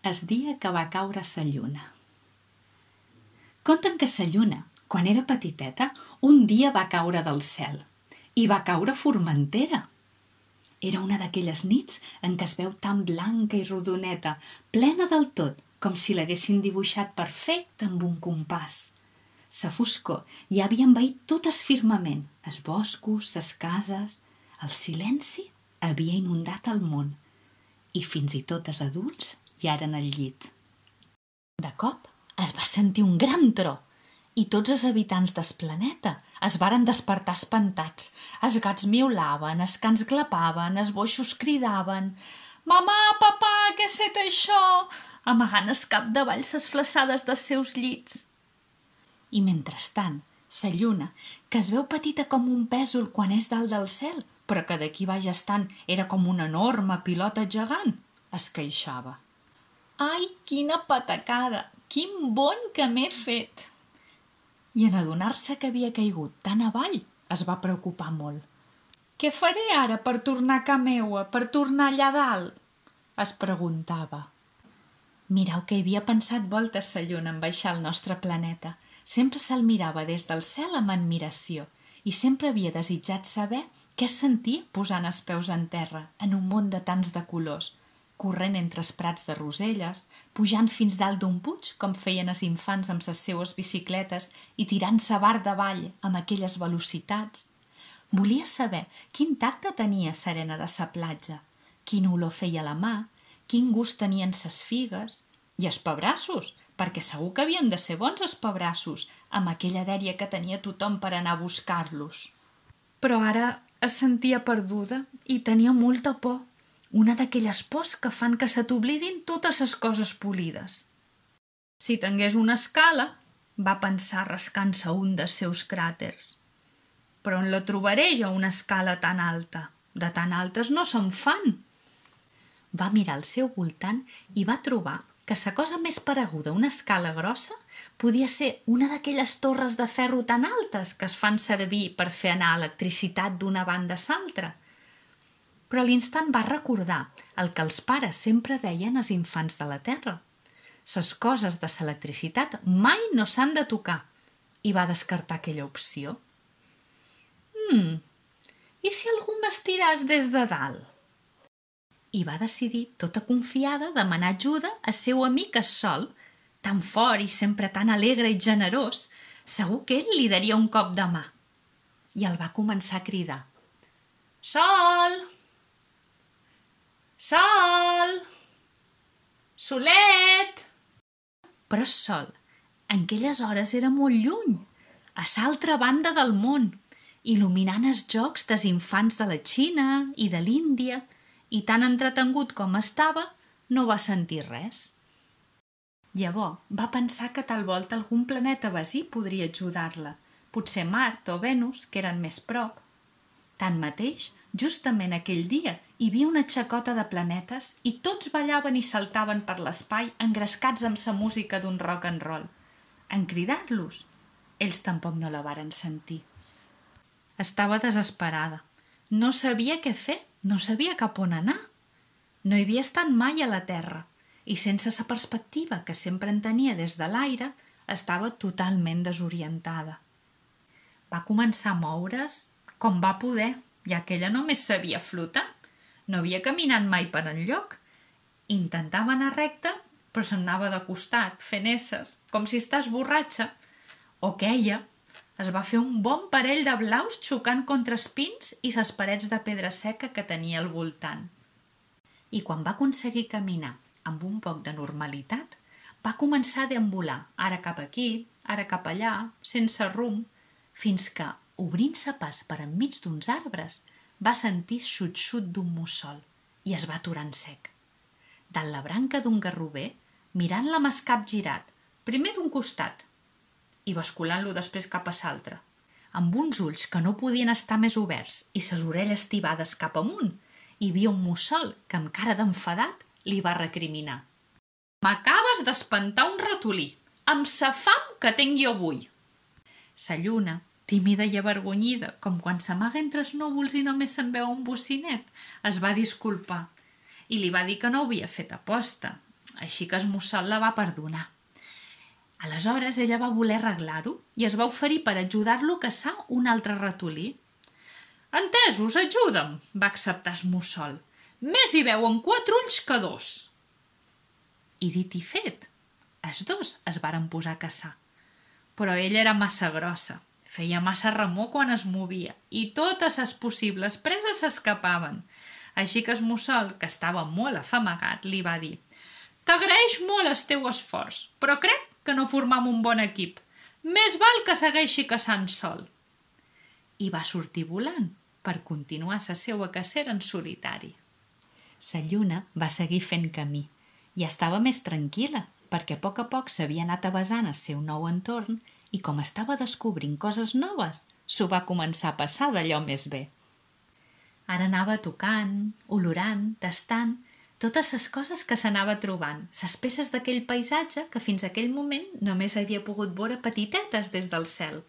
El dia que va caure sa lluna. Conten que sa lluna, quan era petiteta, un dia va caure del cel. I va caure a Formentera. Era una d'aquelles nits en què es veu tan blanca i rodoneta, plena del tot, com si l'haguessin dibuixat perfecte amb un compàs. Sa foscor ja havia envaït tot el firmament, els boscos, les cases. El silenci havia inundat el món i fins i tot els adults ja eren al llit. De cop es va sentir un gran tro i tots els habitants del planeta es varen despertar espantats. Els gats miulaven, els cans glapaven, els boixos cridaven «Mamà, papà, què ha set això?», amagant el cap davall les flaçades dels seus llits. I mentrestant, sa lluna, que es veu petita com un pèsol quan és dalt del cel, però que d'aquí baix estant era com una enorme pilota gegant, es queixava. «Ai, quina patacada! Quin bony que m'he fet!» I en adonar-se que havia caigut tan avall, es va preocupar molt. «Què faré ara per tornar a ca meua, per tornar allà dalt?», es preguntava. Mireu que hi havia pensat voltes sa lluna en baixar al nostre planeta. Sempre se'l mirava des del cel amb admiració i sempre havia desitjat saber què sentia posant els peus en terra en un món de tants de colors, corrent entre els prats de roselles, pujant fins dalt d'un puig com feien els infants amb les seues bicicletes i tirant-se bar davall amb aquelles velocitats. Volia saber quin tacte tenia serena de sa platja, quina olor feia la mà, quin gust tenien ses figues i els pebrassos, perquè segur que havien de ser bons els pebrassos amb aquella dèria que tenia tothom per anar a buscar-los. Però ara es sentia perduda i tenia molta por, una d'aquelles pors que fan que se t'oblidin totes les coses polides. Si tingués una escala, va pensar rascant-se un dels seus cràters. Però on la trobaré jo una escala tan alta? De tan altes no se'n fan. Va mirar al seu voltant i va trobar que sa cosa més pareguda a una escala grossa podia ser una d'aquelles torres de ferro tan altes que es fan servir per fer anar electricitat d'una banda a l'altra. Però a l'instant va recordar el que els pares sempre deien als infants de la Terra. Les coses de l'electricitat mai no s'han de tocar, i va descartar aquella opció. I si algú m'estiràs des de dalt? I va decidir, tota confiada, demanar ajuda al seu amic el Sol, tan fort i sempre tan alegre i generós, segur que ell li daria un cop de mà. I el va començar a cridar. «Sol! Sol! Solet!» Però el Sol, en aquelles hores era molt lluny, a l'altra banda del món, il·luminant els jocs dels infants de la Xina i de l'Índia, i tan entretengut com estava, no va sentir res. Llavors va pensar que tal volta algun planeta vecí podria ajudar-la, potser Mart o Venus, que eren més prop. Tanmateix, justament aquell dia hi havia una xacota de planetes i tots ballaven i saltaven per l'espai engrescats amb sa música d'un rock and roll. En cridar-los, ells tampoc no la varen sentir. Estava desesperada. No sabia què fer, no sabia cap on anar. No hi havia estat mai a la Terra i sense sa perspectiva que sempre en tenia des de l'aire, estava totalment desorientada. Va començar a moure's com va poder, ja que ella només sabia flotar. No havia caminat mai per enlloc. Intentava anar recta, però se'n anava de costat, fent esses, com si estàs borratxa. O queia. Es va fer un bon parell de blaus xocant contra els pins i les parets de pedra seca que tenia al voltant. I quan va aconseguir caminar amb un poc de normalitat, va començar a deambular, ara cap aquí, ara cap allà, sense rumb, fins que, obrint-se pas per enmig d'uns arbres, va sentir xut-xut d'un mussol i es va aturar en sec. Dalt la branca d'un garrover, mirant-la amb el cap girat, primer d'un costat, i basculant-lo després cap a l'altre, amb uns ulls que no podien estar més oberts i ses orelles tibades cap amunt, hi havia un mussol que, amb cara d'enfadat, li va recriminar. «M'acabes d'espantar un ratolí, amb sa fam que tinc jo avui!» Sa lluna, tímida i avergonyida, com quan s'amaga entre els núvols i només se'n veu un bocinet, es va disculpar i li va dir que no ho havia fet aposta. així que Mussol la va perdonar. Aleshores ella va voler arreglar-ho i es va oferir per ajudar-lo a caçar un altre ratolí. «Entesos, ajuda'm», va acceptar Mussol. «Més hi veuen 4 ulls que 2». I dit i fet, els dos es varen posar a caçar. Però ella era massa grossa, feia massa remor quan es movia i totes les possibles preses s'escapaven. Així que Mussol, que estava molt afamagat, li va dir: «T'agraeix molt el teu esforç, però crec que no formam un bon equip. Més val que segueixi caçant sol». I va sortir volant per continuar la seua cacera en solitari. La lluna va seguir fent camí i estava més tranquil·la perquè a poc s'havia anat avesant el seu nou entorn i com estava descobrint coses noves, s'ho va començar a passar d'allò més bé. Ara anava tocant, olorant, tastant, totes les coses que s'anava trobant, les peces d'aquell paisatge que fins aquell moment només havia pogut veure petitetes des del cel,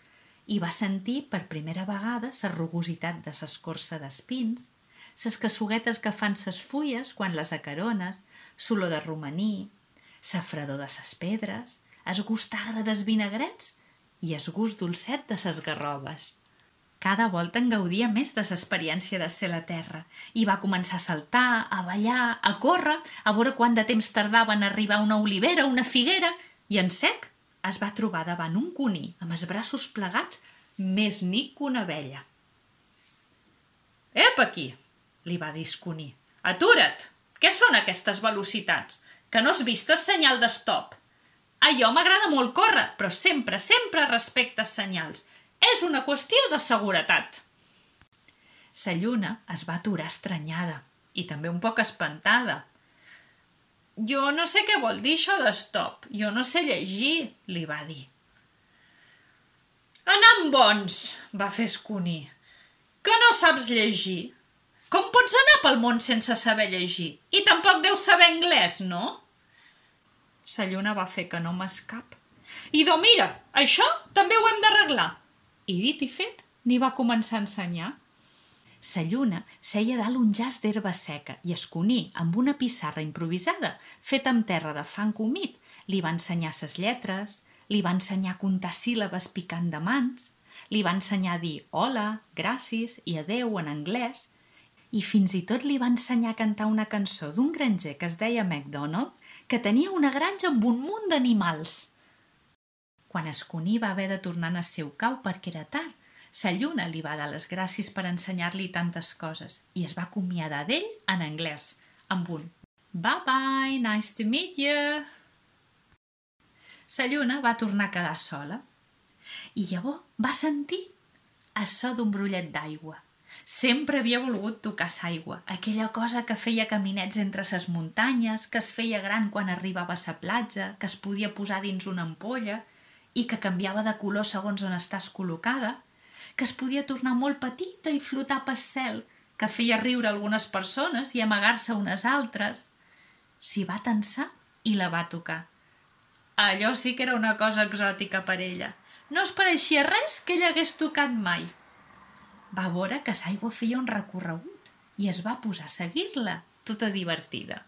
i va sentir per primera vegada la rugositat de l'escorça d'espins, les cassuguetes que fan ses fulles quan les acarones, l'olor de romaní, la fredor de les pedres, el gust agre dels vinagrets i el gust dolcet de les garrobes. Cada volta en gaudia més de l'experiència de ser a la terra i va començar a saltar, a ballar, a córrer, a veure quant de temps tardava en arribar una olivera o una figuera i en sec es va trobar davant un cuní amb els braços plegats més nic que una abella. «Ep aquí!», li va dir el cuní. «Atura't! Què són aquestes velocitats? Que no has vist el senyal d'estop? A jo m'agrada molt córrer, però sempre respecta els senyals. És una qüestió de seguretat». La lluna es va aturar estranyada i també un poc espantada. «Jo no sé què vol dir això d'estop. Jo no sé llegir», li va dir. «Anam bons», va fer el cuní. «Que no saps llegir? Com pots anar pel món sense saber llegir? I tampoc deus saber anglès, no?» La lluna va fer que no m'escap. «Idò, mira, això també ho hem d'arreglar». I dit i fet, n'hi va començar a ensenyar. La lluna seia dalt un jaç d'herba seca i el cuní, amb una pissarra improvisada, feta amb terra de fang humit, li va ensenyar les lletres, li va ensenyar a comptar síl·labes picant de mans, li va ensenyar a dir hola, gràcies i adeu en anglès, i fins i tot li va ensenyar a cantar una cançó d'un granger que es deia MacDonald, que tenia una granja amb un munt d'animals. Quan el cuní va haver de tornar al seu cau perquè era tard, la lluna li va dar les gràcies per ensenyar-li tantes coses i es va acomiadar d'ell en anglès, amb un «Bye bye, nice to meet you». La lluna va tornar a quedar sola i llavors va sentir el so d'un brollet d'aigua. Sempre havia volgut tocar l'aigua, aquella cosa que feia caminets entre les muntanyes, que es feia gran quan arribava a la platja, que es podia posar dins una ampolla i que canviava de color segons on estàs col·locada, que es podia tornar molt petita i flotar pel cel, que feia riure algunes persones i amagar-se unes altres. S'hi va tensar i la va tocar. Allò sí que era una cosa exòtica per ella. No es pareixia res que ella hagués tocat mai. Va veure que l'aigua feia un recorregut i es va posar a seguir-la, tota divertida.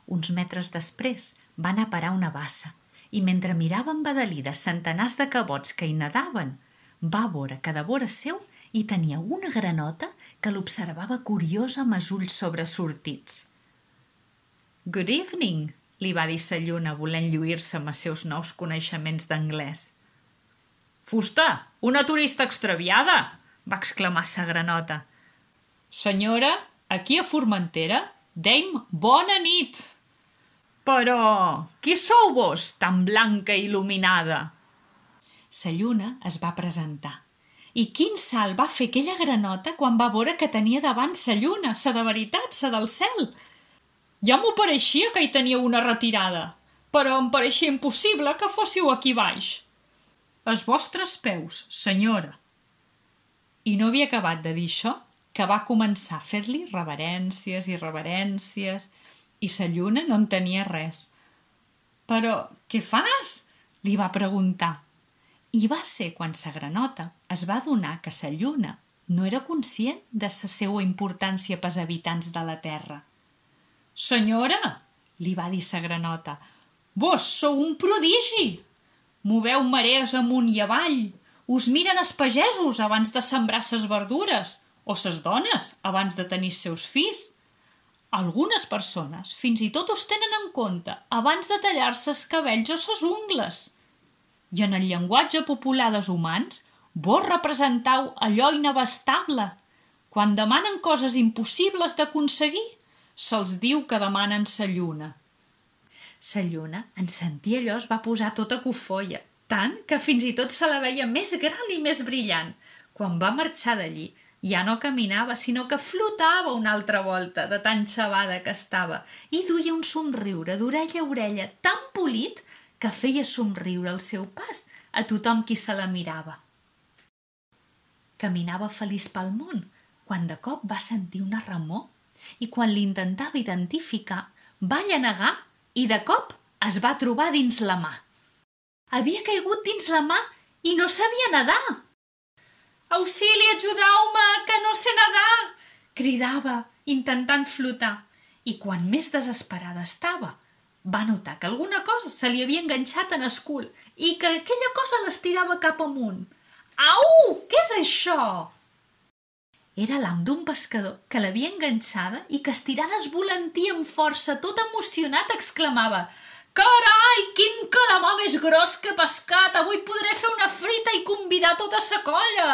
Uns metres després va anar a parar una bassa i mentre mirava embadalides centenars de cabots que hi nadaven, va veure que de vora seu hi tenia una granota que l'observava curiosa amb els ulls sobresortits. «Good evening», li va dir la lluna volent lluir-se amb els seus nous coneixements d'anglès. «Fusta, una turista extraviada!», va exclamar la granota. «Senyora, aquí a Formentera deim bona nit!» «Però qui sou vos, tan blanca i il·luminada?» La lluna es va presentar. I quin salt va fer aquella granota quan va veure que tenia davant la lluna, la de veritat, la del cel. Ja m'ho pareixia que hi teníeu una retirada, però em pareixia impossible que fóssiu aquí baix. «Els vostres peus, senyora». I no havia acabat de dir això, que va començar a fer-li reverències i reverències, i la lluna no en tenia res. «Però què fas?», li va preguntar. I va ser quan la granota es va adonar que la lluna no era conscient de la seva importància pels habitants de la Terra. «Senyora, li va dir sa granota. Vos sou un prodigi! Moveu marees amunt i avall. Us miren els pagesos abans de sembrar ses verdures o ses dones abans de tenir seus fills. Algunes persones fins i tot us tenen en compte abans de tallar-se els cabells o ses ungles. I en el llenguatge popular dels humans, vos representau allò inabastable. Quan demanen coses impossibles d'aconseguir, se'ls diu que demanen sa lluna. Sa lluna, en sentir allò, es va posar tota cofoia, tant que fins i tot se la veia més gran i més brillant. Quan va marxar d'allí, ja no caminava, sinó que flotava una altra volta de tan xavada que estava i duia un somriure d'orella a orella tan polit que feia somriure el seu pas a tothom qui se la mirava. Caminava feliç pel món, quan de cop va sentir una remor i quan l'intentava identificar va llenegar i de cop es va trobar dins la mà. Havia caigut dins la mà i no sabia nedar. «Auxili, ajudeu-me, que no sé nedar!» cridava, intentant flotar. I quan més desesperada estava, va notar que alguna cosa se li havia enganxat en el cul i que aquella cosa l'estirava cap amunt. «Au! Què és això?» Era l'am d'un pescador que l'havia enganxada i que estirant es volantia amb força, tot emocionat, exclamava «Carai, quin calamar més gros que he pescat! Avui podré fer una frita i convidar tota sa colla!»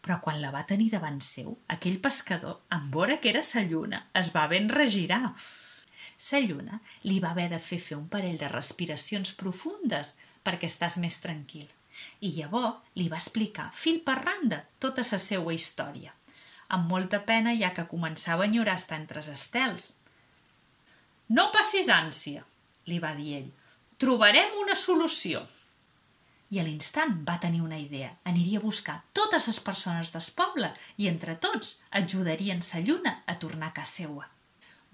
Però quan la va tenir davant seu, aquell pescador, en veure que era sa lluna, es va ben regirar. Sa lluna li va haver de fer un parell de respiracions profundes perquè estàs més tranquil. I llavors li va explicar, fil per randa, tota la seva història. Amb molta pena, ja que començava a enyorar estar entre els estels. «No passis ànsia», li va dir ell. «Trobarem una solució». I a l'instant va tenir una idea. Aniria a buscar totes les persones del poble i entre tots ajudarien sa lluna a tornar a casa seua.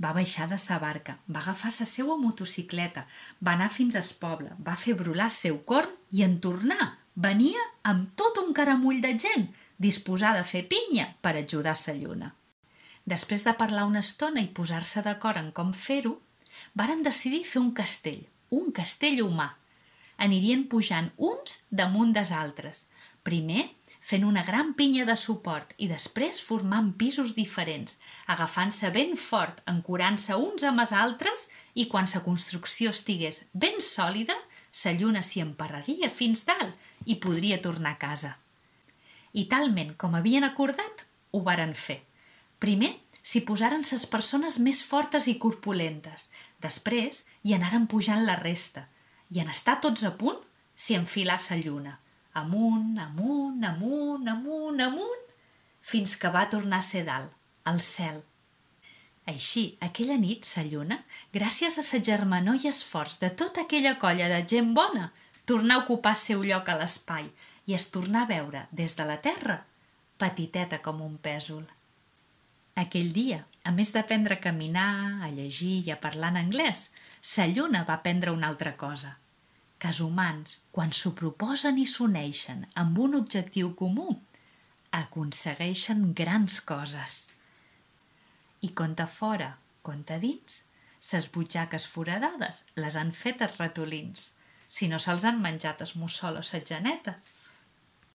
Va baixar de sa barca, va agafar sa seua motocicleta, va anar fins al poble, va fer brolar el seu corn i en tornar venia amb tot un caramull de gent disposada a fer pinya per ajudar sa lluna. Després de parlar una estona i posar-se d'acord en com fer-ho, varen decidir fer un castell humà. Anirien pujant uns damunt dels altres, primer fent una gran pinya de suport i després formant pisos diferents, agafant-se ben fort, ancorant-se uns amb els altres i quan la construcció estigués ben sòlida, sa lluna s'hi emparraria fins dalt i podria tornar a casa. I talment com havien acordat, ho varen fer. Primer s'hi posaren ses persones més fortes i corpulentes, després hi anaren pujant la resta, i en estar tots a punt, s'hi enfilà sa lluna, amunt, amunt, amunt, amunt, amunt, fins que va tornar a ser dalt, al cel. Així, aquella nit, sa lluna, gràcies a sa germanor i esforç de tota aquella colla de gent bona, tornà a ocupar el seu lloc a l'espai i es tornà a veure, des de la terra, petiteta com un pèsol. Aquell dia, a més d'aprendre a caminar, a llegir i a parlar en anglès, sa lluna va aprendre una altra cosa, que els humans, quan s'ho proposen i s'uneixen amb un objectiu comú, aconsegueixen grans coses. I conta fora, conta dins, ses butxaques foradades les han fet els ratolins. Si no se'ls han menjat el mussol o la geneta,